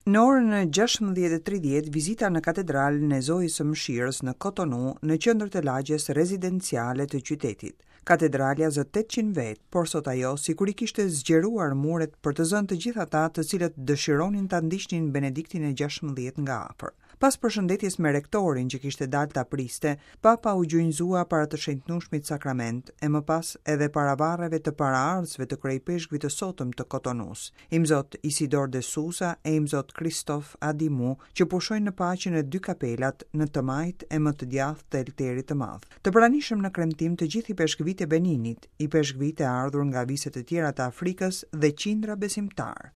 Në orën 16:30 vizita në katedralen e Zojës së Mëshirës në Kotonu, në qendër të lagjes rezidenciale të qytetit. Katedralja zë 800 vetë, por sot ajo sikur i kishte zgjeruar muret për të zënë të gjithë ata të cilët dëshironin ta ndiqnin Benediktin e 16 nga afër. Pas përshëndetjes me rektorin që kishte dalë ta priste, Papa u gjunjëzua para të shenjtnueshmit sakrament e më pas edhe para varreve të paraardhësve të kryeipeshkvit të sotëm të Kotonusë, Imzot Isidor de Souza e Imzot Kristof Adimu, që pushojnë në paqe në dy kapelat, në të majtë e më të djathtë të Elterit të Madh. Të pranishëm në kremtim të gjithë ipeshkvijtë e Beninit, ipeshkvijtë e ardhur nga vise të tjera të Afrikës dhe qindra besimtarë.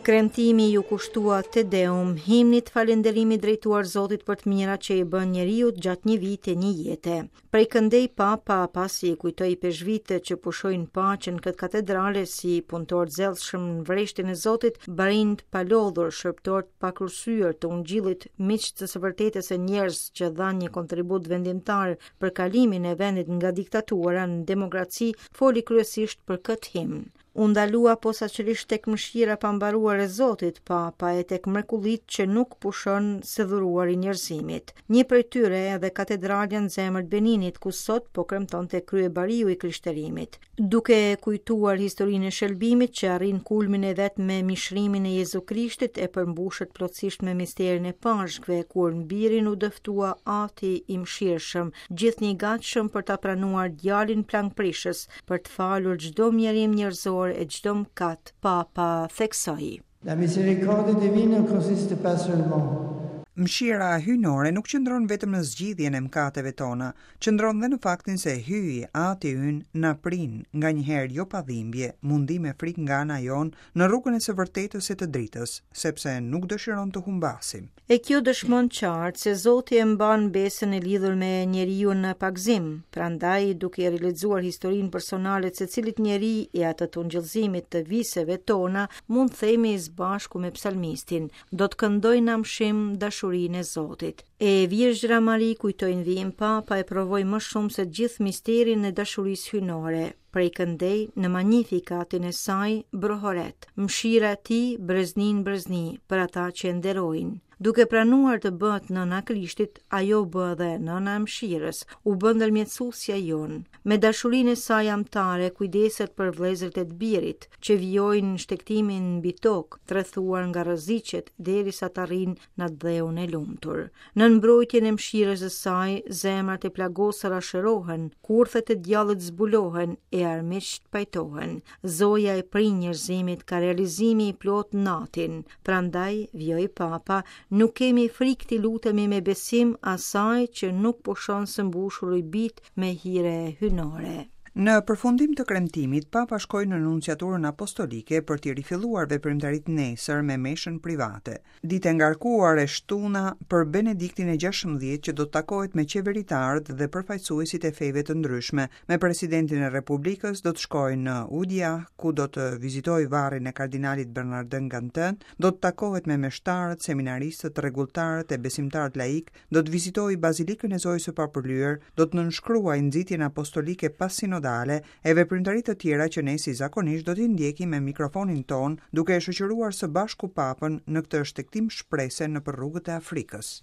Kremtimi iu kushtua Te Deum, himnit falënderimit drejtuar Zotit për të mirat që i bën njeriut gjatë një viti e një jete. Prej këndej Papa, pasi i kujtoi ipeshkvijtë që pushojnë paqe në këtë katedrale si punëtorë të zellshëm në vreshtin e Zotit, barinj të palodhur, shërbëtorë të pakursyer të ungjillit, miq të së vërtetës e njerëz që dhanë një kontribut vendimtar për kalimin e vendit nga diktatura në demokraci, foli kryesisht për këtë himn. U ndalua posaçërisht tek mëshira e pambaruar e Zotit, Papa e tek mrekullitë që nuk pushon së dhuruari njerëzimit. Një prej tyre edhe katedralja në zemër të Beninit, ku sot po kremtonte kryebariu i krishterimit. Duke kujtuar historinë e shëlbimit që arrin kulmin e vet me mishrimin e Jezu Krishtit e përmbushet plotësisht me misterin e Pashkëve, kur në birin u dëftua Ati i mëshirshëm, gjithnjë i gatshëm për ta pranuar djalin plangprishës, për të falur çdo mjerim njerëzor e çdo mëkat, Papa theksoi. La miséricorde divine ne consiste pas seulement Mëshira hyjnore nuk qëndron vetëm në zgjidhjen e mëkateve tona, qëndron dhe në faktin se Hyji, Ati ynë, na prin, nganjëherë jo pa dhimbje, mundim e frikë nga ana jonë, në rrugën e së vërtetës e të dritës, sepse nuk dëshiron të humbasim. E kjo dëshmon qartë se Zoti e mban besën e lidhur me njeriun në pagëzim. Prandaj, duke rilexuar historinë personale të secilit njeri e atë të ungjillëzimit të viseve tona, mund të themi së bashku me psalmistin, do të këndoj në amshim dashurinë e Zotit. E Virgjëra Mari, kujtoi në vijim Papa, e provoi më shumë se të gjithë misterin e dashurisë hyjnore. Prej këndej, në Magnificatin e saj, brohoret, mëshira e tij, brezni në brezni, për ata që e nderojnë. Duke pranuar të bëhet nëna e Krishtit, ajo u bë edhe nëna e mëshirës, u bë ndërmjetësuesja jonë. Me dashurinë e saj amtare kujdeset për vëllezërit e të birit, që vijojnë shtegtimin mbi tokë, të rrethuar nga rreziqet derisa të arrijnë në atdheun e lumtur. Nën mbrojtjen e mëshirës së saj, zemrat e plagosura shërohen, kurthet e djallit zbulohen e armiqtë pajtohen. Zoja e prin njerëzimit ka realizimi i plotë në Atin. Prandaj, vijoi Papa, nuk kemi frikë t'i lutemi me besim asaj që nuk pushon së mbushuri bijtë me hire hyjnore. Në përfundim të kremtimit, Papa shkoi në Nunciaturën Apostolike për t'i rifilluar veprimtaritë nesër me meshën private. Ditë e ngarkuar e shtuna për Benediktin e 16 që do të takohet me qeveritarët dhe përfaqësuesit e feve të ndryshme. Me presidentin e Republikës do të shkojë në Ouidah, ku do të vizitojë varrin e kardinalit Bernardin Gantin, do të takohet me meshtarët, seminaristët, rregulltarët e besimtarët laikë, do të vizitojë Bazilikën e Zojës së Papërlyer, do të nënshkruajë nxitjen apostolike passinodale e veprimtari të tjera që ne si zakonisht do t'i ndjekim me mikrofonin tonë, duke e shoqëruar së bashku Papën në këtë shtegtim shprese nëpër rrugët e Afrikës.